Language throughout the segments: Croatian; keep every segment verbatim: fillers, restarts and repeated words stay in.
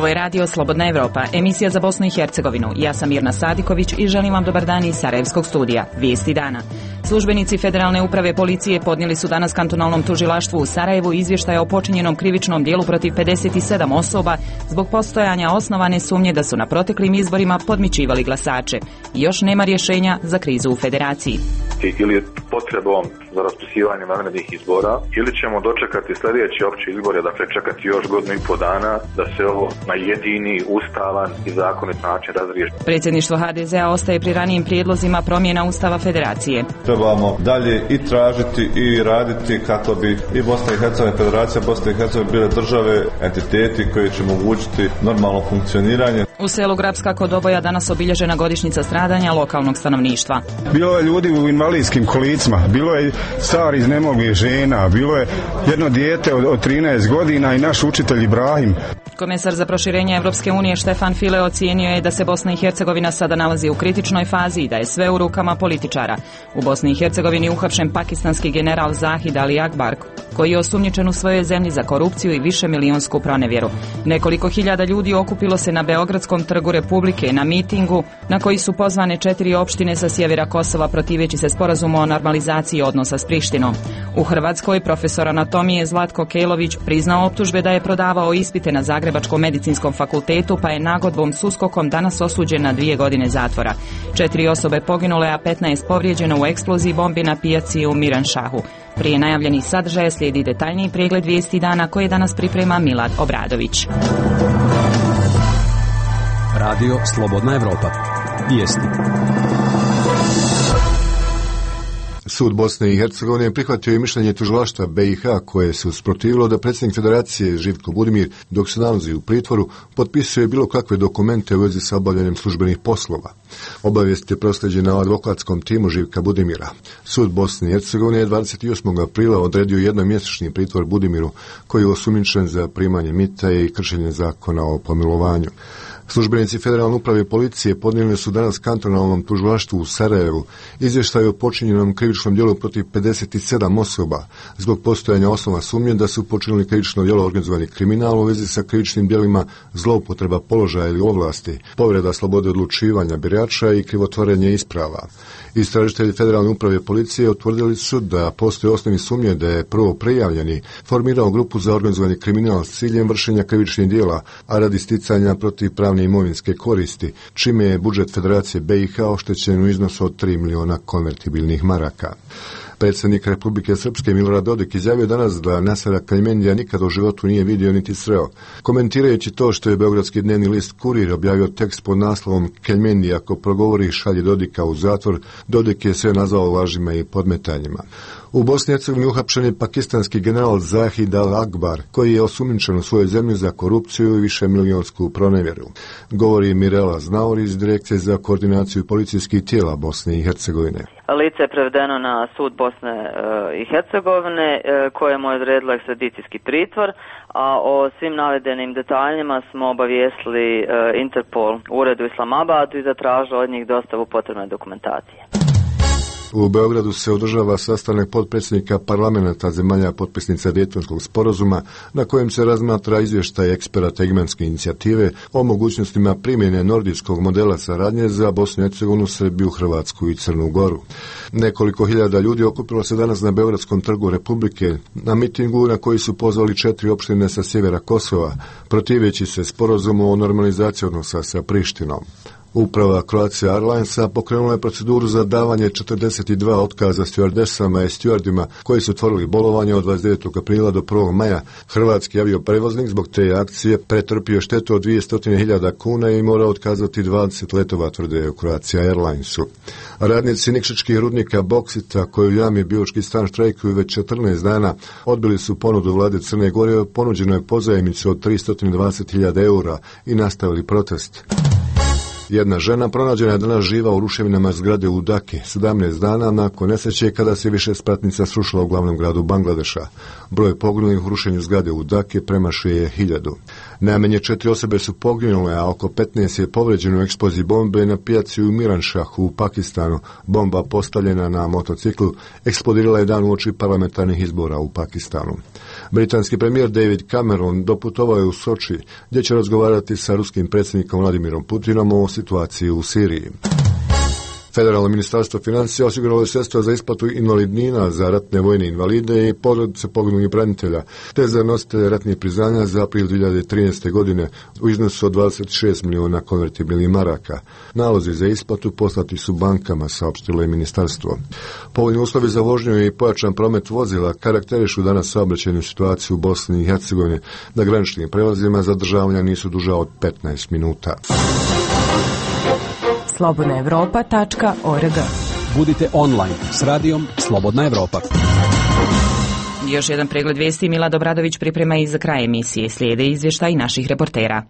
Ovo je radio Slobodna Evropa, emisija za Bosnu i Hercegovinu. Ja sam Mirna Sadiković i želim vam dobar dan iz Sarajevskog studija. Vijesti dana. Službenici Federalne uprave policije podnijeli su danas kantonalnom tužilaštvu u Sarajevu izvještaj o počinjenom krivičnom dijelu protiv pedeset sedam osoba zbog postojanja osnovane sumnje da su na proteklim izborima podmićivali glasače. I još nema rješenja za krizu u federaciji. Ili potrebom za raspisivanje vanrednih izbora, ili ćemo dočekati sljedeće opće izbore, dakle čekati još godinu i po dana da se ovo na jedini, ustavan i zakonit način razriješi. Predsjedništvo ha de zea ostaje pri ranijim prijedlozima promjena Ustava Federacije. Trebamo dalje i tražiti i raditi kako bi i Bosna i Hercegovina, Federacija Bosne i Hercegovine bile države, entiteti koji će omogućiti normalno funkcioniranje. U selu Grabska kod Oboja danas obilježena godišnjica stradanja lokalnog stanovništva. Bilo je ljudi u invalidskim kolicima, bilo je stari iznemoglih žena, bilo je jedno dijete od, od trinaest godina i naš učitelj Ibrahim. Komesar za proširenje Evropske unije Štefan File ocijenio je da se Bosna i Hercegovina sada nalazi u kritičnoj fazi i da je sve u rukama političara. U Bosni i Hercegovini uhapšen pakistanski general Zahid Ali Akbar, koji je osumnjičen u svojoj zemlji za korupciju i višemilijunsku pronevjeru. Nekoliko hiljada ljudi okupilo se na Beogradskom trgu Republike na mitingu na koji su pozvane četiri opštine sa sjevera Kosova protiveći se sporazumu o normalizaciji odnosa s Prištinom. U Hrvatskoj profesor anatomije Zlatko Kejlović priznao optužbe da je prodavao ispite na Zagrebačkom medicinskom fakultetu pa je nagodbom s uskokom danas osuđen na dvije godine zatvora. Četiri osobe poginule, a petnaest povrijeđeno u eksploziji bombi na pijaci u Miranšahu. Prije najavljenih sadržaja slijedi detaljniji pregled vijesti dana koje danas priprema Milad Obradović. Radio Slobodna Evropa. Vijesti. Sud Bosne i Hercegovine prihvatio je mišljenje tužilaštva be i ha koje se usprotivilo da predsjednik Federacije Živko Budimir, dok se nalazi u pritvoru, potpisuje bilo kakve dokumente u vezi sa obavljanjem službenih poslova. Obavijest je proslijeđena advokatskom timu Živka Budimira. Sud Bosne i Hercegovine je dvadeset osmog aprila odredio jednomjesečni pritvor Budimiru, koji je osumnjičen za primanje mita i kršenje zakona o pomilovanju. Službenici Federalne uprave policije podnijeli su danas kantonalnom tužilaštvu u Sarajevu izvještaj o počinjenom krivičnom djelu protiv pedeset sedam osoba zbog postojanja osnova sumnje da su počinili krivično djelo organizovani kriminal u vezi sa krivičnim djelima zloupotreba položaja ili ovlasti, povreda slobode odlučivanja birača i krivotvorenje isprava. Istražitelji Federalne uprave policije utvrdili su da postoje osnovni sumnje da je prvo prijavljeni formirao grupu za organizovani kriminal s ciljem vršenja krivičnih djela, a radi sticanja protiv pravne imovinske koristi, čime je budžet Federacije be i ha oštećen u iznosu od tri miliona konvertibilnih maraka. Predsjednik Republike Srpske Milorad Dodik izjavio danas da Nasera Keljmendija nikad u životu nije vidio niti sreo. Komentirajući to što je beogradski dnevni list Kurir objavio tekst pod naslovom Keljmendija ako progovori šalje Dodika u zatvor, Dodik je sve nazvao lažima i podmetanjima. U Bosni i Hercegovini uhapšen je pakistanski general Zahid Al Akbar, koji je osumnjičen u svojoj zemlji za korupciju i višemilijonsku pronevjeru. Govori Mirela Znaur iz Direkcije za koordinaciju policijskih tijela Bosne i Hercegovine. Lice je prevedeno na sud Bosne i Hercegovine kojemu je odredilo ekstradicijski pritvor, a o svim navedenim detaljima smo obavijestili Interpol u uredu Islamabadu i zatražili od njih dostavu potrebne dokumentacije. U Beogradu se održava sastanak potpredsjednika parlamenta zemalja potpisnica Dejtonskog sporazuma na kojem se razmatra izvještaj eksperata Egmanske inicijative o mogućnostima primjene nordijskog modela saradnje za Bosnu i Hercegovinu, Srbiju, Hrvatsku i Crnu Goru. Nekoliko hiljada ljudi okupilo se danas na Beogradskom trgu Republike na mitingu na koji su pozvali četiri opštine sa sjevera Kosova, protiveći se sporazumu o normalizaciji odnosa sa Prištinom. Uprava Croatia Airlinesa pokrenula je proceduru za davanje četrdeset dva otkaza stjuardesama i stjuardima koji su otvorili bolovanje od dvadeset devetog aprila do prvog maja. Hrvatski avioprevoznik zbog te akcije pretrpio štetu od dvjesto hiljada kuna i mora otkazati dvadeset letova, tvrde u Croatia Airlinesu. Radnici nikšićkih rudnika Boksita koji u jami Biočki stan štrajkuju već četrnaest dana odbili su ponudu vlade Crne Gore, ponuđeno je pozajmicu od tristo dvadeset hiljada eura i nastavili protest. Jedna žena pronađena je danas živa u ruševinama zgrade u Daki, sedamnaest dana nakon nesreće kada se više spratnica srušila u glavnom gradu Bangladeša. Broj poginulih u rušenju zgrade u Daki premašuje hiljadu. Najmanje četiri osobe su poginule, a oko petnaest je povređeno u eksploziji bombe na pijaci u Miranšahu u Pakistanu. Bomba postavljena na motociklu eksplodirala je dan uoči parlamentarnih izbora u Pakistanu. Britanski premijer David Cameron doputovao je u Soči, gdje će razgovarati sa ruskim predsjednikom Vladimirom Putinom o situaciji u Siriji. Federalno ministarstvo financija osiguralo je sredstva za isplatu invalidnina za ratne vojne invalide i porodice poginulih branitelja, te za nositelje ratnih priznanja za april dvije hiljade trinaeste. godine u iznosu od dvadeset šest milijuna konvertibilnih maraka. Nalozi za isplatu poslati su bankama, saopštilo je ministarstvo. Povoljni uslovi za vožnju i pojačan promet vozila karakterišu danas saobraćajnu situaciju u Bosni i Hercegovini. Na graničnim prelazima zadržavanja nisu duža od petnaest minuta. slobodna evropa tačka org. Budite online s radijom Slobodna Evropa. Još jedan pregled vijesti Milad Obradović priprema i za kraj emisije. Slijede izvještaj naših reportera.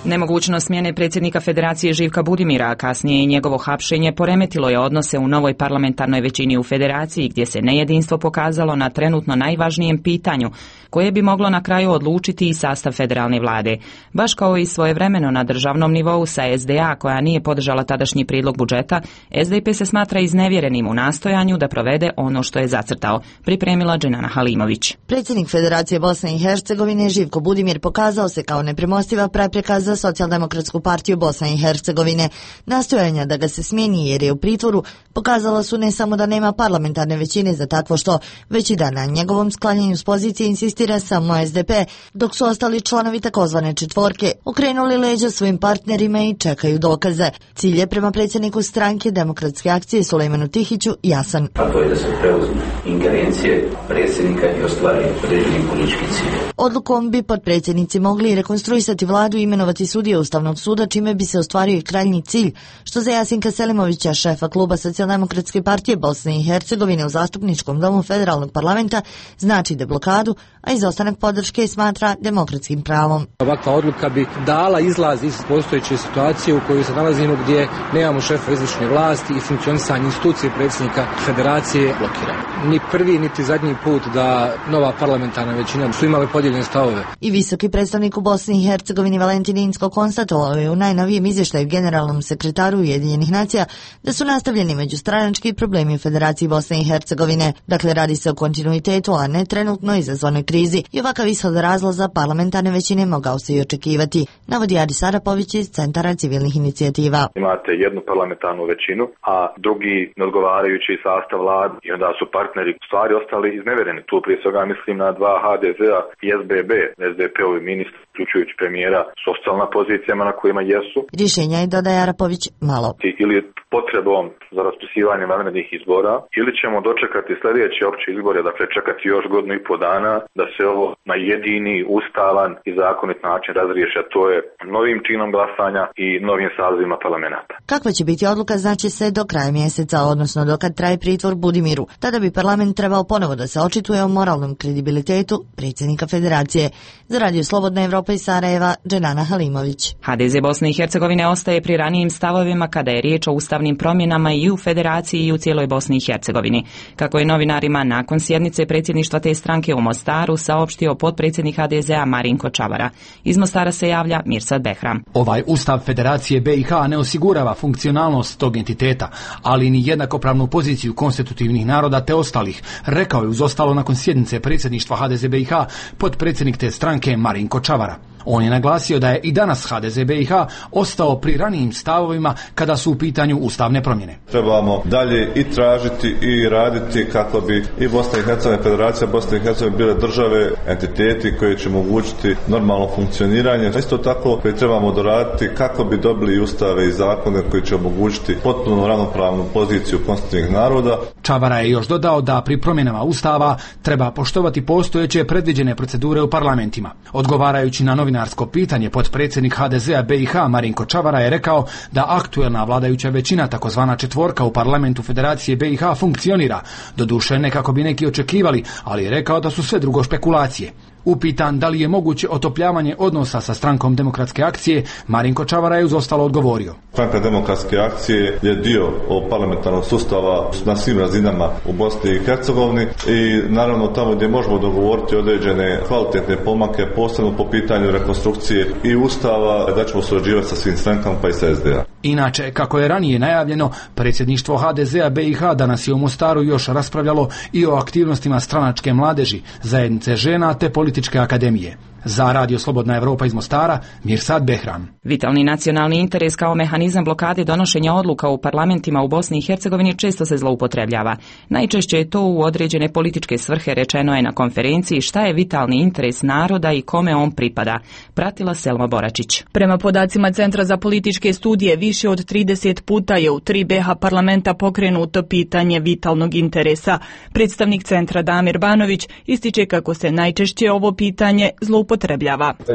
Nemogućnost smjene predsjednika Federacije Živka Budimira, a kasnije i njegovo hapšenje, poremetilo je odnose u novoj parlamentarnoj većini u Federaciji, gdje se nejedinstvo pokazalo na trenutno najvažnijem pitanju, koje bi moglo na kraju odlučiti i sastav federalne vlade. Baš kao i svojevremeno na državnom nivou sa S D A, koja nije podržala tadašnji prijedlog budžeta, S D P se smatra iznevjerenim u nastojanju da provede ono što je zacrtao, pripremila Dženana Halimović. Predsjednik Federacije Bosne i Hercegovine Živko Budimir pokazao se kao nepremostiva prepreka za Socijaldemokratsku partiju Bosne i Hercegovine. Nastojanja da ga se smijeni jer je u pritvoru pokazala su ne samo da nema parlamentarne većine za takvo što, već i da na njegovom sklanjanju s pozicije insistira samo S D P, dok su ostali članovi takozvane četvorke okrenuli leđa svojim partnerima i čekaju dokaze. Cilj je prema predsjedniku stranke Demokratske akcije Sulejmanu Tihiću jasan. A to je da se preuzmu ingerencije predsjednika i ostvari određeni politički cilj. Odlukom bi potpredsjednici mogli rekonstruisati vladu i imenovati sudije Ustavnog suda, čime bi se ostvario i krajnji cilj, što za Jasinka Selimovića, šefa kluba Socijaldemokratske partije Bosne i Hercegovine u zastupničkom domu federalnog parlamenta, znači deblokadu, a izostanak podrške smatra demokratskim pravom. Ovakva odluka bi dala izlaz iz postojeće situacije u kojoj se nalazimo, gdje nemamo šefa izvršne vlasti i funkcionisanje institucije predsjednika Federacije blokirano. Ni prvi niti zadnji put da nova parlamentarna većina su imale podijeljene stavove. I visoki predstavnik u Bosni i Hercegovini Valentin Inzko konstatovao je u najnovijem izvještaju generalnom sekretaru Ujedinjenih nacija da su nastavljeni međustranački problemi u Federaciji Bosne i Hercegovine. Dakle, radi se o kontinuitetu, a ne trenutno izazvanoj krizi, i ovakav ishod razloza parlamentarne većine mogao se i očekivati, navodi Adis Arapović iz Centara civilnih inicijativa. Imate jednu parlamentarnu većinu, a drugi neodgovarajući sastav vlade, i onda su partneri stvari ostali iznevereni. Tu prije svega mislim na dva H D Z-a i S B B, S D P-ovi ministri, uključujući premijera, su ostali na pozicijama na kojima jesu. Rješenja je, dodaje Arapović, malo. Ili potrebom za raspisivanje vanrednih izbora, ili ćemo dočekati sljedeće opće izbore, dakle čekati još godinu i po dana da se ovo na jedini, ustavan i zakonit način razriješi, a to je novim činom glasanja i novim sazivima parlamenta. Kakva će biti odluka znači se do kraja mjeseca, odnosno dokad traje pritvor Budimiru. Tada bi parlament trebao ponovo da se očituje o moralnom kredibilitetu predsjednika Federacije. Za Radio Slobodna Evropa iz Sarajeva, Dženana Halimović. H D Z Bosne i Hercegovine ostaje pri ranijim stavovima kada je riječ o ustavnim promjenama i u Federaciji i u cijeloj Bosni i Hercegovini. Kako je novinarima nakon sjednice predsjedništva te stranke u Mostaru saopštio potpredsjednik H D Z-a Marinko Čavara. Iz Mostara se javlja Mirsad Behram. Ovaj ustav Federacije B i H ne osigurava funkcionalnost tog entiteta, ali ni jednakopravnu poziciju konstitutivnih naroda te ostalih, rekao je uz ostalo nakon sjednice predsjedništva H D Z B i H potpredsjednik te stranke Marinko Čavara. On je naglasio da je i danas H D Z B i H ostao pri ranijim stavovima kada su u pitanju ustavne promjene. Trebamo dalje i tražiti i raditi kako bi i Bosna i Hercegovina, Federacija Bosne i Hercegovine bile države, entiteti koji će omogućiti normalno funkcioniranje. Isto tako koji trebamo doraditi kako bi dobili ustave i zakone koji će omogućiti potpuno ravnopravnu poziciju konstitutivnih naroda. Čavara je još dodao da pri promjenama ustava treba poštovati postojeće predviđene procedure u parlamentima. Odgovarajući na novinarsko pitanje, potpredsjednik H D Z-a B i H Marinko Čavara je rekao da aktuelna vladajuća većina, takozvana četvorka u parlamentu Federacije B i H funkcionira, doduše ne kako bi neki očekivali, ali je rekao da su sve drugo špekulacije. Upitan da li je moguće otopljavanje odnosa sa strankom Demokratske akcije, Marinko Čavara je uz ostalo odgovorio. Stranka Demokratske akcije je dio ovog parlamentarnog sustava na svim razinama u Bosni i Hercegovini i naravno tamo gdje možemo dogovoriti određene kvalitetne pomake, posebno po pitanju rekonstrukcije i ustava, da ćemo surađivati sa svim strankama pa i sa S D A. Inače, kako je ranije najavljeno, predsjedništvo H D Z-a B i H danas je u Mostaru još raspravljalo i o aktivnostima stranačke mladeži, zajednice žena te političke akademije. Za Radio Slobodna Evropa iz Mostara, Mirsad Behram. Vitalni nacionalni interes kao mehanizam blokade donošenja odluka u parlamentima u Bosni i Hercegovini često se zloupotrebljava. Najčešće je to u određene političke svrhe, rečeno je na konferenciji šta je vitalni interes naroda i kome on pripada. Pratila Selma Boračić. Prema podacima Centra za političke studije, više od trideset puta je u tri B H parlamenta pokrenuto pitanje vitalnog interesa. Predstavnik centra Damir Banović ističe kako se najčešće ovo pitanje zloupotrebljava.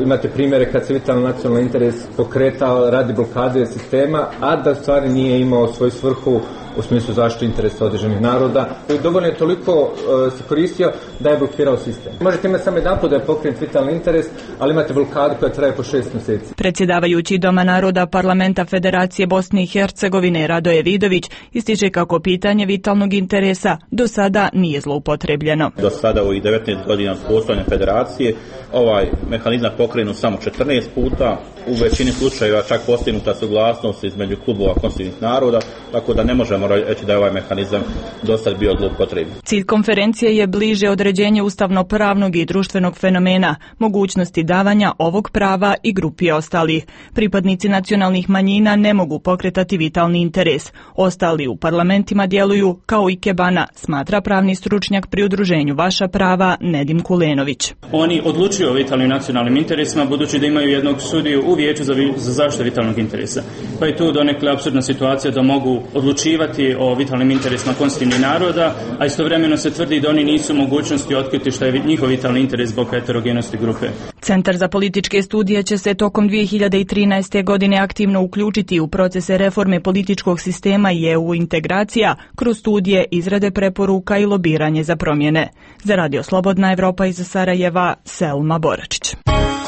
Imate primjere kad se vitalni nacionalni interes pokretao radi blokade sistema, a da stvari nije imao svoju svrhu u smislu zaštite interesa određenih naroda. Dovoljno je toliko uh, se koristio da je blokirao sistem. Možete imati samo jedan put da je pokrenut vitalni interes, ali imate blokadu koja traje po šest mjeseci. Predsjedavajući Doma naroda Parlamenta Federacije Bosne i Hercegovine Radoje Vidović ističe kako pitanje vitalnog interesa do sada nije zloupotrebljeno. Do sada u devetnaest godina postojanja federacije ovaj mehanizam pokrenut samo četrnaest puta, u većini slučajeva čak postignuta suglasnost između klubova konstitutivnih naroda, tako da ne možemo reći da je ovaj mehanizam do sad bio zloupotrebljen. Cilj konferencije je bliže određenje ustavno-pravnog i društvenog fenomena, mogućnosti davanja ovog prava i grupi ostalih. Pripadnici nacionalnih manjina ne mogu pokretati vitalni interes. Ostali u parlamentima djeluju kao ikebana, smatra pravni stručnjak pri udruženju Vaša prava Nedim Kulenović. Oni odlučuju o vitalnim nacionalnim interesima budući da imaju jednog sudiju u vijeću za, vi, za zaštitu vitalnog interesa. Pa je tu donekle apsurdna situacija da mogu odlučivati o vitalnim interesima konstitutivnih naroda, a istovremeno se tvrdi da oni nisu u mogućnosti otkriti što je njihov vitalni interes zbog heterogenosti grupe. Centar za političke studije će se tokom dvije hiljade trinaeste. godine aktivno uključiti u procese reforme političkog sistema i E U integracija kroz studije, izrade preporuka i lobiranje za promjene. Za Radio Slobodna Evropa iz Sarajeva, Selma Boračić.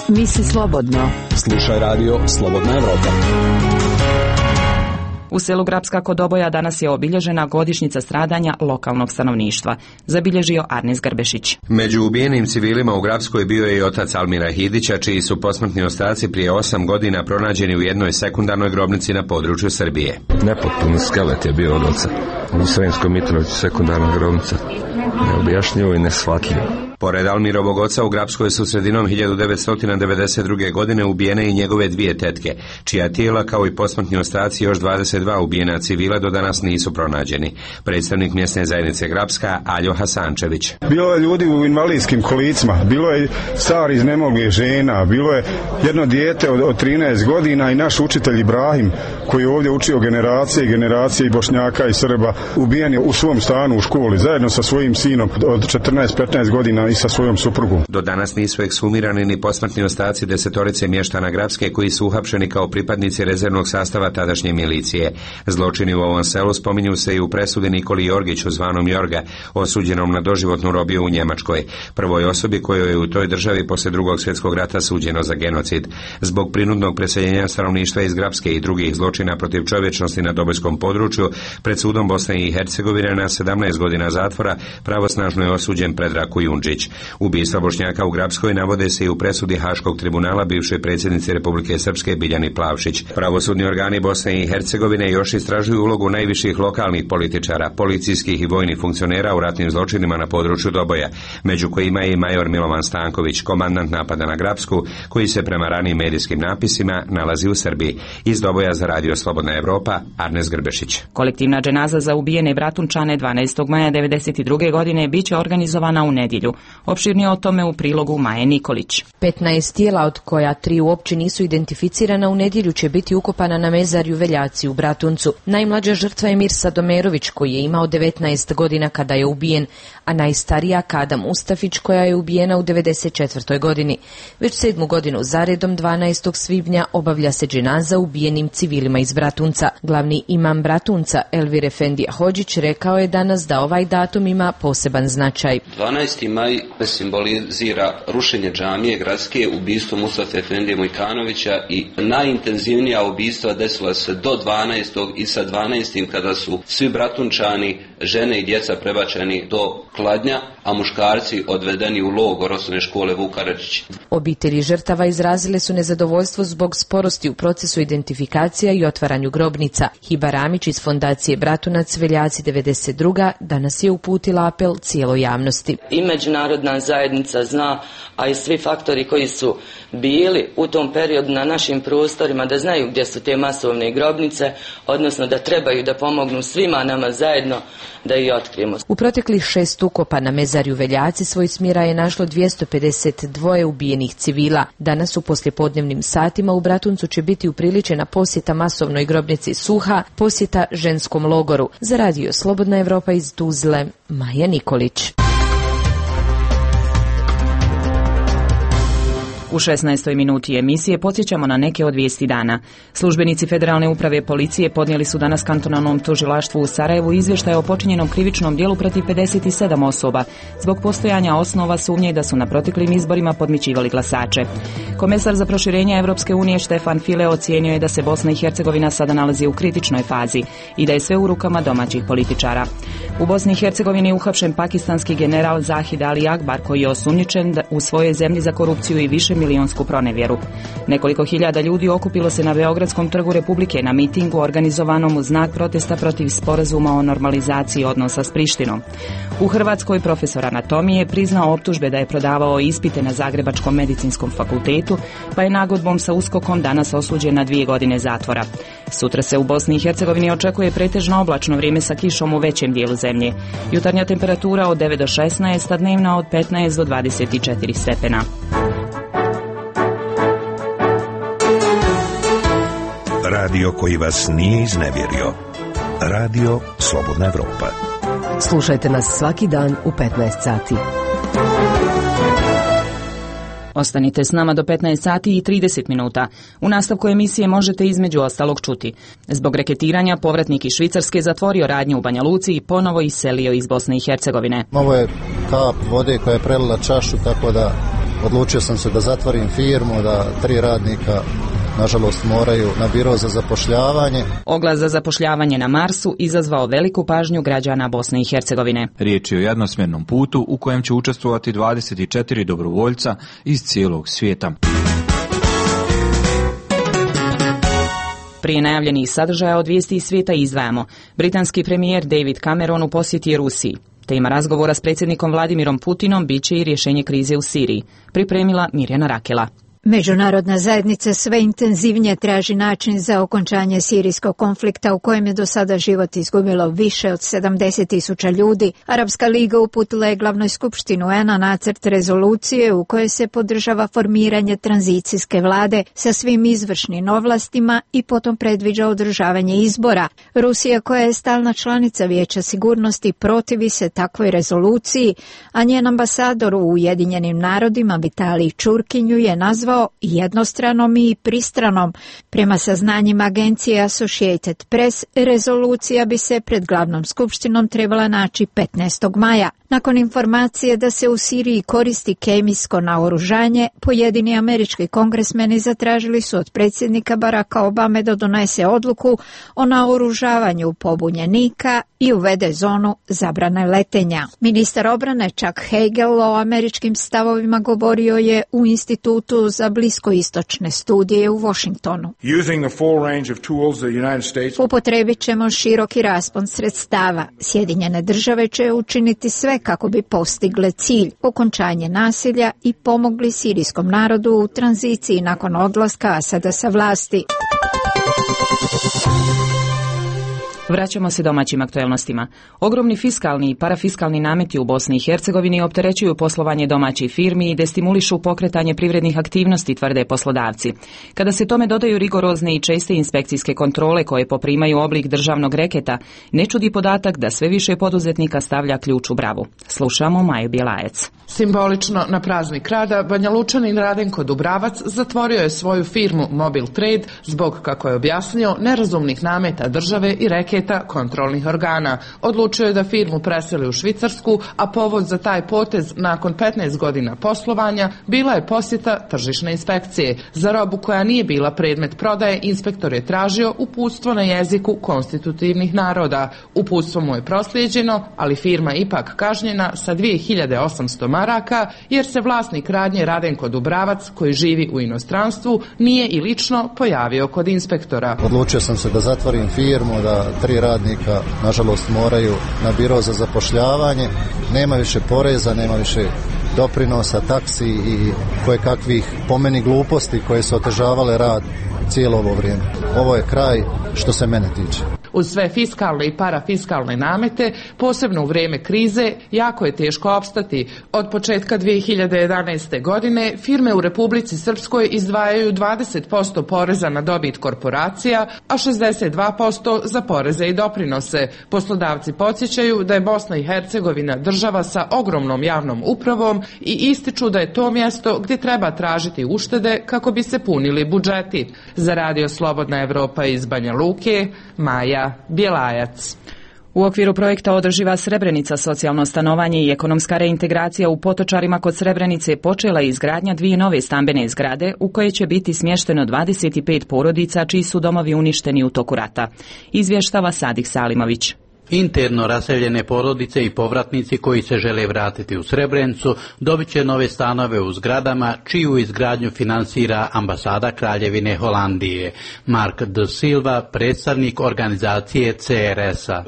Misli slobodno. Slušaj Radio Slobodna Evropa. U selu Grapska kod Oboja danas je obilježena godišnjica stradanja lokalnog stanovništva. Zabilježio Arnes Grbešić. Među ubijenim civilima u Grapskoj bio je i otac Almira Hidića, čiji su posmrtni ostaci prije osam godina pronađeni u jednoj sekundarnoj grobnici na području Srbije. Nepotpun skelet je bio od oca. U Sremskoj Mitrovici sekundarna grobnica. Neobjašnjivo i neshvatljivo. Pored Almirovog oca u Grapskoj su sredinom hiljadu devetsto devedeset druge. godine ubijene i njegove dvije tetke, čija tijela kao i posmrtni ostaci još dvadeset dva ubijena civila do danas nisu pronađeni. Predstavnik mjesne zajednice Grapska, Aljo Hasančević. Bilo je ljudi u invalidskim kolicima, bilo je stari iznemoglih žena, bilo je jedno dijete od, od trinaest godina i naš učitelj Ibrahim, koji je ovdje učio generacije i generacije i Bošnjaka i Srba, ubijen je u svom stanu u školi, zajedno sa svojim sinom od četrnaest petnaest godina i sa svojom suprugom. Do danas nisu ekshumirani ni posmrtni ostaci desetorice mještana Grapske koji su uhapšeni kao pripadnici rezervnog sastava tadašnje milicije. Zločini u ovom selu spominju se i u presudi Nikoli Jorgiću zvanom Jorga, osuđenom na doživotnu robiju u Njemačkoj, prvoj osobi kojoj je u toj državi poslije drugog svjetskog rata suđeno za genocid. Zbog prinudnog preseljenja stanovništva iz Grapske i drugih zločina protiv čovječnosti na Dobojskom području, pred sudom Bosne i Hercegovine na sedamnaest godina zatvora pravosnažno je osuđen Predrag Kujundžić. Ubistva Bošnjaka u Grapskoj navode se i u presudi Haškog tribunala bivšoj predsjednici Republike Srpske Biljani Plavšić. Pravosudni organi Bosne i Hercegovine još istražuju ulogu najviših lokalnih političara, policijskih i vojnih funkcionera u ratnim zločinima na području Doboja, među kojima je i major Milovan Stanković, komandant napada na Grapsku, koji se prema ranijim medijskim napisima nalazi u Srbiji. Iz Doboja za Radio Slobodna Evropa, Arnes Grbešić. Kolektivna dženaza za ubijene Bratunčane dvanaestog maja devedeset druge. godine biće organizovana u nedjelju. Opširnije o tome u prilogu Maje Nikolić. petnaest tijela, od koja tri uopće nisu identificirana, u nedjelju će biti ukopana na mezarju Veljaci u Bratuncu. Najmlađa žrtva je Mirsa Domerović, koji je imao devetnaest godina kada je ubijen, a najstarija Kada Mustafić, koja je ubijena u devedeset četvrtoj. godini. Već sedmu godinu zaredom dvanaestog svibnja obavlja se dženaza ubijenim civilima iz Bratunca. Glavni imam Bratunca, Elvir Efendija Hodžić, rekao je danas da ovaj datum ima poseban značaj. dvanaesti maj stvari simbolizira rušenje džamije gradske, ubistvo Mustafe Efendije Mujkanovića i najintenzivnija ubistva desila se do dvanaestog i sa dvanaestim kada su svi bratunčani, žene i djeca prebačeni do Kladnja, a muškarci odvedeni u logor osnovne škole Vuk Karadžić. Obitelji žrtava izrazile su nezadovoljstvo zbog sporosti u procesu identifikacija i otvaranju grobnica. Hiba Ramić iz fondacije Bratunac Veljaci devedeset druga danas je uputila apel cijeloj javnosti. I međunarodna zajednica zna, a i svi faktori koji su bili u tom periodu na našim prostorima, da znaju gdje su te masovne grobnice, odnosno da trebaju da pomognu svima nama zajedno da ih otkrijemo. U proteklih šest ukopa na mezarju Veljaci svoj smira je našlo dvjesto pedeset dva ubijenih civila. Danas u poslijepodnevnim satima u Bratuncu će biti upriličena posjeta masovnoj grobnici Suha, posjeta ženskom logoru. Za radio Slobodna Evropa iz Tuzle, Maja Nikolić. U šesnaestoj minuti emisije podsjećamo na neke od vijesti dana. Službenici Federalne uprave policije podnijeli su danas kantonalnom tužilaštvu u Sarajevu izvještaj o počinjenom krivičnom djelu protiv pedeset sedam osoba zbog postojanja osnova sumnje da su na proteklim izborima podmićivali glasače. Komesar za proširenje Evropske unije Štefan File ocijenio je da se Bosna i Hercegovina sada nalazi u kritičnoj fazi i da je sve u rukama domaćih političara. U Bosni i Hercegovini je uhapšen pakistanski general Zahid Ali Akbar koji je osumnjičen u svojoj zemlji za korupciju i više milionsku pronevjeru. Nekoliko hiljada ljudi okupilo se na Beogradskom trgu Republike na mitingu organizovanom u znak protesta protiv sporazuma o normalizaciji odnosa s Prištinom. U Hrvatskoj profesor anatomije priznao optužbe da je prodavao ispite na Zagrebačkom medicinskom fakultetu, pa je nagodbom sa uskokom danas osuđen na dvije godine zatvora. Sutra se u Bosni i Hercegovini očekuje pretežno oblačno vrijeme sa kišom u većem dijelu zemlje. Jutarnja temperatura od devet do šesnaest, a dnevna od petnaest do dvadeset četiri stepena. Radio koji vas nije iznevjerio. Radio Slobodna Evropa. Slušajte nas svaki dan u petnaest sati. Ostanite s nama do petnaest sati i trideset minuta. U nastavku emisije možete između ostalog čuti. Zbog reketiranja povratnik iz Švicarske zatvorio radnju u Banja Luci i ponovo iselio iz Bosne i Hercegovine. Ovo je kap vode koja je prelila čašu, tako da odlučio sam se da zatvorim firmu, da tri radnika nažalost moraju na biro za zapošljavanje. Oglas za zapošljavanje na Marsu izazvao veliku pažnju građana Bosne i Hercegovine. Riječ je o jednosmjernom putu u kojem će učestvovati dvadeset četiri dobrovoljca iz cijelog svijeta. Prije najavljenih sadržaja od vijesti iz svijeta izdvajamo. Britanski premijer David Cameron u posjeti Rusiji. Tema razgovora s predsjednikom Vladimirom Putinom bit će i rješenje krize u Siriji. Pripremila Mirjana Rakela. Međunarodna zajednica sve intenzivnije traži način za okončanje sirijskog konflikta u kojem je do sada život izgubilo više od sedamdeset tisuća ljudi. Arapska liga uputila je glavnoj skupštini U N-a nacrt rezolucije u kojoj se podržava formiranje tranzicijske vlade sa svim izvršnim ovlastima i potom predviđa održavanje izbora. Rusija, koja je stalna članica Vijeća sigurnosti, protivi se takvoj rezoluciji, a njen ambasador u Ujedinjenim narodima Vitalij Čurkinju je nazvao jednostranom i pristranom. Prema saznanjima agencije Associated Press, rezolucija bi se pred glavnom skupštinom trebala naći petnaestog maja. Nakon informacije da se u Siriji koristi kemijsko naoružanje, pojedini američki kongresmeni zatražili su od predsjednika Baracka Obame da donese odluku o naoružavanju pobunjenika i uvede zonu zabrane letenja. Ministar obrane Chuck Hagel o američkim stavovima govorio je u Institutu za bliskoistočne studije u Washingtonu. Upotrebit ćemo široki raspon sredstava. Sjedinjene države će učiniti sve kako bi postigle cilj, okončanje nasilja i pomogli sirijskom narodu u tranziciji nakon odlaska Asada sa vlasti. Vraćamo se domaćim aktuelnostima. Ogromni fiskalni i parafiskalni nameti u Bosni i Hercegovini opterećuju poslovanje domaćih firmi i destimulišu pokretanje privrednih aktivnosti, tvrde poslodavci. Kada se tome dodaju rigorozne i česte inspekcijske kontrole koje poprimaju oblik državnog reketa, ne čudi podatak da sve više poduzetnika stavlja ključ u bravu. Slušamo Maju Bjelajec. Simbolično na praznik rada Banja Lučanin Radenko Dubravac zatvorio je svoju firmu Mobil Trade zbog, kako je objasnio, nerazumnih nameta države i reke paketa kontrolnih organa. Odlučio je da firmu preseli u Švicarsku, a povod za taj potez nakon petnaest godina poslovanja bila je posjeta tržišne inspekcije. Za robu koja nije bila predmet prodaje, inspektor je tražio uputstvo na jeziku konstitutivnih naroda. Uputstvo mu je proslijeđeno, ali firma ipak kažnjena sa dvije hiljade osamsto maraka, jer se vlasnik radnje Radenko Dubravac, koji živi u inostranstvu, nije i lično pojavio kod inspektora. Odlučio sam se da zatvorim firmu, da tri radnika nažalost moraju na biro za zapošljavanje. Nema više poreza, nema više doprinosa, taksi i koje kakvih po meni gluposti koje su otežavale rad cijelo ovo vrijeme. Ovo je kraj što se mene tiče. Uz sve fiskalne i parafiskalne namete, posebno u vrijeme krize, jako je teško opstati. Od početka dvije hiljade jedanaeste. godine firme u Republici Srpskoj izdvajaju dvadeset posto poreza na dobit korporacija, a šezdeset dva posto za poreze i doprinose. Poslodavci podsjećaju da je Bosna i Hercegovina država sa ogromnom javnom upravom i ističu da je to mjesto gdje treba tražiti uštede kako bi se punili budžeti. Za Radio Slobodna Evropa iz Banja Luke, Maja Bjelajac. U okviru projekta Održiva Srebrenica, socijalno stanovanje i ekonomska reintegracija u Potočarima kod Srebrenice počela je izgradnja dvije nove stambene zgrade u koje će biti smješteno dvadeset pet porodica čiji su domovi uništeni u toku rata. Izvještava Sadik Salimović. Interno raseljene porodice i povratnici koji se žele vratiti u Srebrenicu dobit će nove stanove u zgradama čiju izgradnju finansira ambasada Kraljevine Holandije. Mark de Silva, predstavnik organizacije C R S-a.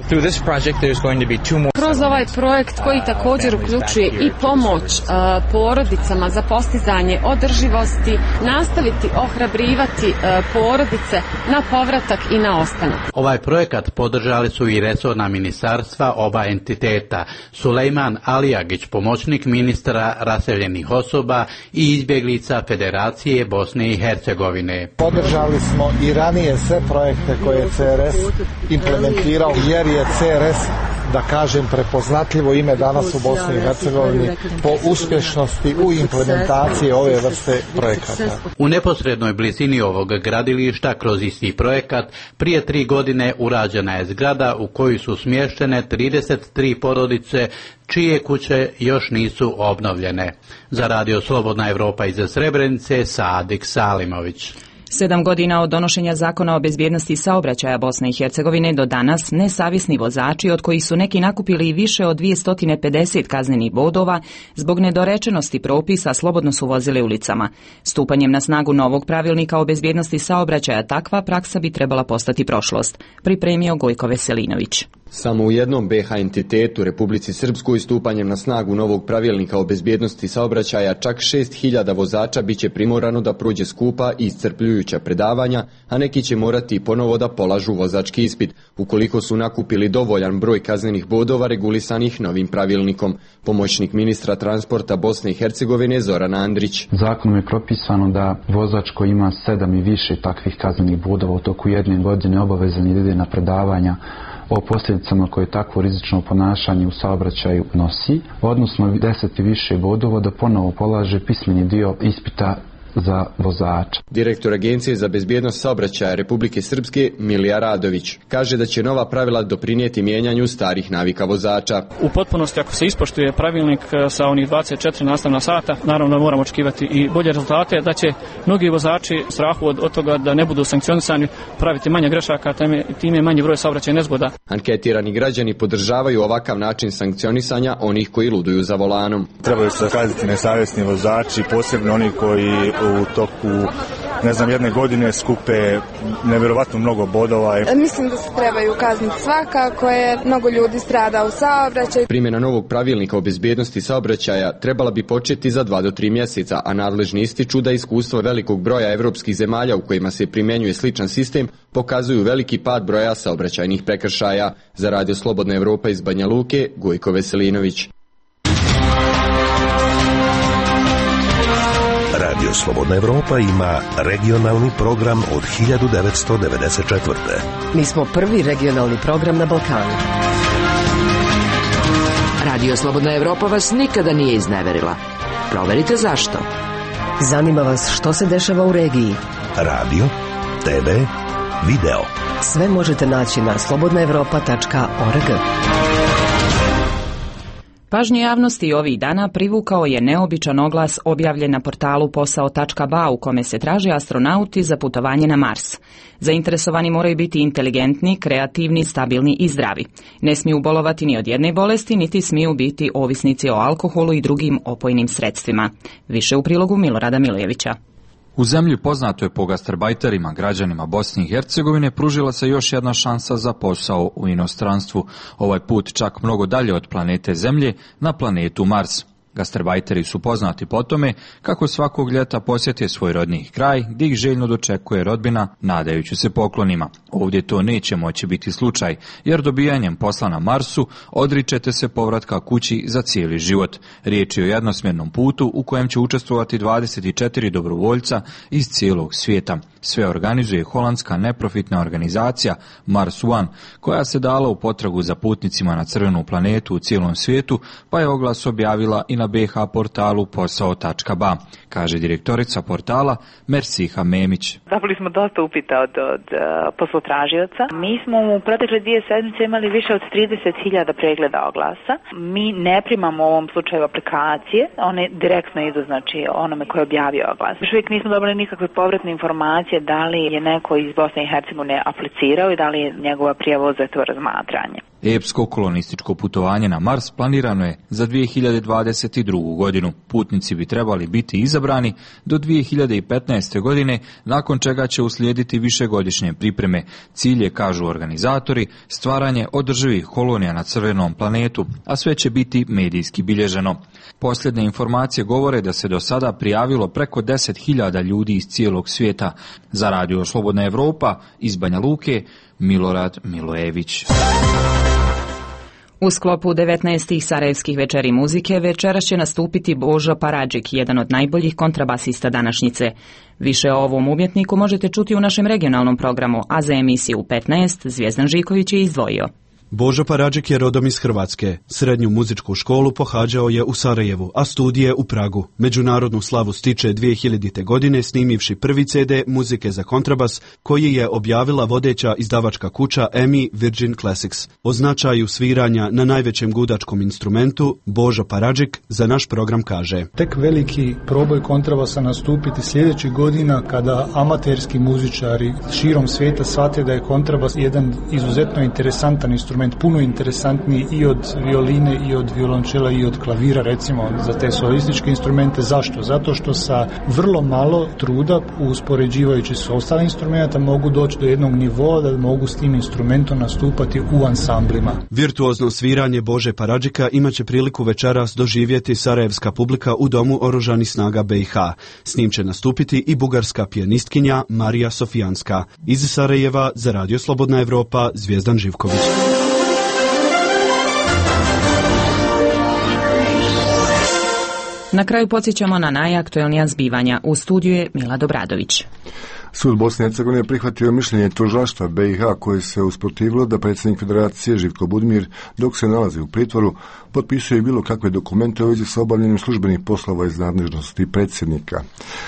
Kroz ovaj projekt koji također uključuje i pomoć uh, porodicama za postizanje održivosti, nastaviti ohrabrivati uh, porodice na povratak i na ostanak. Ovaj projekat podržali su i resorna ministarstva oba entiteta. Sulejman Alijagić, pomoćnik ministra raseljenih osoba i izbjeglica Federacije Bosne i Hercegovine. Podržali smo i ranije sve projekte koje je C R S implementirao, jer je C R S, da kažem, prepoznatljivo ime danas u Bosni i Hercegovini po uspješnosti u implementaciji ove vrste projekata. U neposrednoj blizini ovog gradilišta kroz isti projekat prije tri godine urađena je zgrada u koju su smještene trideset tri porodice čije kuće još nisu obnovljene. Za Radio Slobodna Evropa iz Srebrenice, Sadik Salimović. Sedam godina od donošenja zakona o bezbjednosti saobraćaja Bosne i Hercegovine do danas nesavisni vozači, od kojih su neki nakupili i više od dvjesto pedeset kaznenih bodova, zbog nedorečenosti propisa slobodno su vozili ulicama. Stupanjem na snagu novog pravilnika o bezbjednosti saobraćaja takva praksa bi trebala postati prošlost, pripremio Gojko Veselinović. Samo u jednom B H entitetu, Republici Srpskoj, stupanjem na snagu novog pravilnika o bezbjednosti saobraćaja, čak šest hiljada vozača biće primorano da prođe skupa i iscrpljujuća predavanja, a neki će morati ponovo da polažu vozački ispit, ukoliko su nakupili dovoljan broj kaznenih bodova regulisanih novim pravilnikom. Pomoćnik ministra transporta Bosne i Hercegovine Zoran Andrić. Zakonom je propisano da vozač koji ima sedam i više takvih kaznenih bodova u toku jedne godine obavezan je da ide na predavanja o posljedicama koje takvo rizično ponašanje u saobraćaju nosi, odnosno deset i više bodova da ponovo polaže pismeni dio ispita za vozača. Direktor Agencije za bezbjednost saobraćaja Republike Srpske Milija Radović kaže da će nova pravila doprinijeti mijenjanju starih navika vozača. U potpunosti, ako se ispoštuje pravilnik sa onih dvadeset četiri nastavna sata, naravno moramo očekivati i bolje rezultate, da će mnogi vozači strahu od, od toga da ne budu sankcionisani praviti manje grešaka, time je manji broj saobraćajnih nezgoda. Anketirani građani podržavaju ovakav način sankcionisanja onih koji luduju za volanom. Trebaju se kazniti nesavjesni vozači, posebno oni koji u toku, ne znam, jedne godine skupe nevjerovatno mnogo bodova. Mislim da se trebaju kazniti svakako, je mnogo ljudi strada u saobraćaju. Primjena novog pravilnika o bezbjednosti saobraćaja trebala bi početi za dva do tri mjeseca, a nadležni ističu da iskustvo velikog broja evropskih zemalja u kojima se primjenjuje sličan sistem pokazuju veliki pad broja saobraćajnih prekršaja. Za Radio Slobodna Evropa iz Banja Luke, Gojko Veselinović. Radio Slobodna Evropa ima regionalni program od hiljadu devetsto devedeset četvrte. Mi smo prvi regionalni program na Balkanu. Radio Slobodna Evropa vas nikada nije izneverila. Proverite zašto. Zanima vas što se dešava u regiji. Radio, T V, video. Sve možete naći na slobodna evropa tačka org. Pažnju javnosti ovih dana privukao je neobičan oglas objavljen na portalu posao tačka ba u kome se traže astronauti za putovanje na Mars. Zainteresovani moraju biti inteligentni, kreativni, stabilni i zdravi. Ne smiju bolovati ni od jedne bolesti, niti smiju biti ovisnici o alkoholu i drugim opojnim sredstvima. Više u prilogu Milorada Milojevića. U zemlji poznatoj po gastarbajterima, građanima Bosne i Hercegovine, pružila se još jedna šansa za posao u inostranstvu. Ovaj put čak mnogo dalje od planete Zemlje, na planetu Mars. Gastarbajteri su poznati po tome kako svakog ljeta posjete svoj rodni kraj, gdje ih željno dočekuje rodbina, nadajući se poklonima. Ovdje to neće moći biti slučaj, jer dobijanjem posla na Marsu odričete se povratka kući za cijeli život. Riječ je o jednosmjernom putu u kojem će učestvovati dvadeset četiri dobrovoljca iz cijelog svijeta. Sve organizuje holandska neprofitna organizacija Mars One, koja se dala u potragu za putnicima na crvenu planetu u cijelom svijetu, pa je oglas objavila i na be ha portalu posao tačka ba, kaže direktorica portala Mersiha Memić. Dobili smo dosta upita od, od uh, poslotražioca. Mi smo u protekle dvije sedmice imali više od trideset hiljada pregleda oglasa. Mi ne primamo u ovom slučaju aplikacije, one direktno idu znači onome koji je objavio oglas. Još uvijek nismo dobili nikakve povratne informacije da li je neko iz Bosne i Hercegovine aplicirao i da li je njegova prijava uzeta u razmatranje. Epsko kolonističko putovanje na Mars planirano je za dvije hiljade dvadeset drugu. godinu. Putnici bi trebali biti izabrani do dvije hiljade petnaeste. godine, nakon čega će uslijediti višegodišnje pripreme. Cilj je, kažu organizatori, stvaranje održivih kolonija na crvenom planetu, a sve će biti medijski bilježeno. Posljednje informacije govore da se do sada prijavilo preko deset hiljada ljudi iz cijelog svijeta. Za radio Slobodna Evropa iz Banja Luke, Milorad Milojević. U sklopu devetnaestih sarajevskih večeri muzike večeras će nastupiti Božo Paradžik, jedan od najboljih kontrabasista današnjice. Više o ovom umjetniku možete čuti u našem regionalnom programu, a za emisiju u petnaest Zvijezdan Žiković je izdvojio. Božo Paradžik je rodom iz Hrvatske. Srednju muzičku školu pohađao je u Sarajevu, a studije u Pragu. Međunarodnu slavu stiče dvije hiljadite. godine snimivši prvi ce de muzike za kontrabas, koji je objavila vodeća izdavačka kuća E M I Virgin Classics. O značaju sviranja na najvećem gudačkom instrumentu Božo Paradžik za naš program kaže: Tek veliki proboj kontrabasa nastupiti sljedećih godina kada amaterski muzičari širom svijeta shvate da je kontrabas jedan izuzetno interesantan instrument, puno interesantniji i od violine i od violončela i od klavira, recimo za te solističke instrumente. Zašto? Zato što sa vrlo malo truda, uspoređivajući s ostalim instrumenta, mogu doći do jednog nivoa da mogu s tim instrumentom nastupati u ansamblima. Virtuozno sviranje Bože Paradžika imaće priliku večeras doživjeti sarajevska publika u Domu oružanih snaga be i ha. S njim će nastupiti i bugarska pijanistkinja Marija Sofijanska. Iz Sarajeva za Radio Slobodna Evropa, Zvijezdan Živković. Na kraju podsjećamo na najaktuelnija zbivanja. U studiju je Mila Dobradović. Sud Bosne i Hercegovine prihvatio mišljenje tužilaštva be i ha koje se usprotivilo da predsjednik Federacije Živko Budimir, dok se nalazi u pritvoru, potpisuje bilo kakve dokumente u vezi sa obavljanjem službenih poslova iz nadležnosti predsjednika.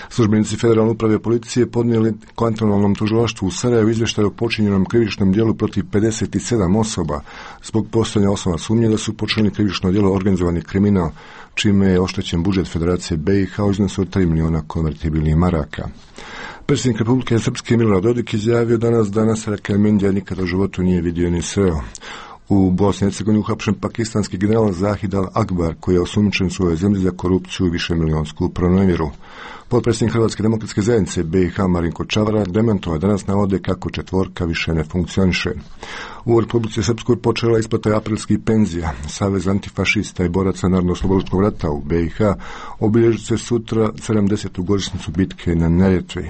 Službenici Federalne uprave policije podnijeli kantonalnom tužilaštvu u Sarajevu izvještaj o počinjenom krivičnom djelu protiv pedeset sedam osoba zbog postojanja osnova sumnje da su počinili krivično djelo organizovani kriminal, čime je oštećen budžet Federacije be i ha u iznosu od tri miliona konvertibilnih maraka. Predsjednik Republike Srpske Milorad Dodik izjavio danas da Nasera Kelmendija nikada u životu nije vidio ni sreo. U Bosni i Hercegovini uhapšen pakistanski general Zahid al-Akbar, koji je osumnjičen u svojoj zemlji za korupciju i višemilijonsku pronevjeru. Potpredsjednik Hrvatske demokratske zajednice be i ha Marinko Čavara demantovao danas navode kako četvorka više ne funkcioniše. U Republici Srpskoj počela isplata aprilskih penzija. Savez antifašista i boraca Narodno-oslobodilačkog rata u be i ha obilježit se sutra sedamdesetu godišnjicu bitke na Neretvi.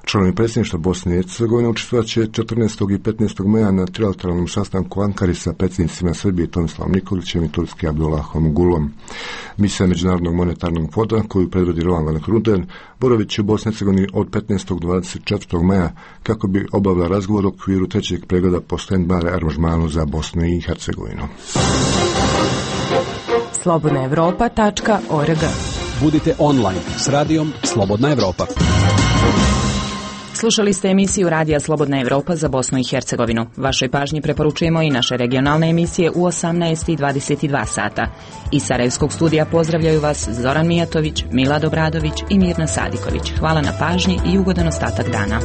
Članovi predsjedništva Bosne i Hercegovine učestvovat će četrnaestog i petnaestog maja na trilateralnom sastanku u Ankari sa predsjednicima Srbije Tomislavom Nikolićem i Turske Abdullahom Gulom. Misija Međunarodnog monetarnog fonda, koju predvodi Roland van Kruden, boravit će u Bosni i Hercegovini od petnaestog do dvadeset četvrtog maja kako bi obavila razgovor u okviru trećeg pregleda po stand-by aranžmanu za Bosnu i Hercegovinu. slobodna evropa tačka org. Budite online s radijom Slobodna Evropa. Slušali ste emisiju Radija Slobodna Evropa za Bosnu i Hercegovinu. Vašoj pažnji preporučujemo i naše regionalne emisije u osamnaest i dvadeset dva sata. Iz Sarajevskog studija pozdravljaju vas Zoran Mijatović, Milad Obradović i Mirna Sadiković. Hvala na pažnji i ugodan ostatak dana.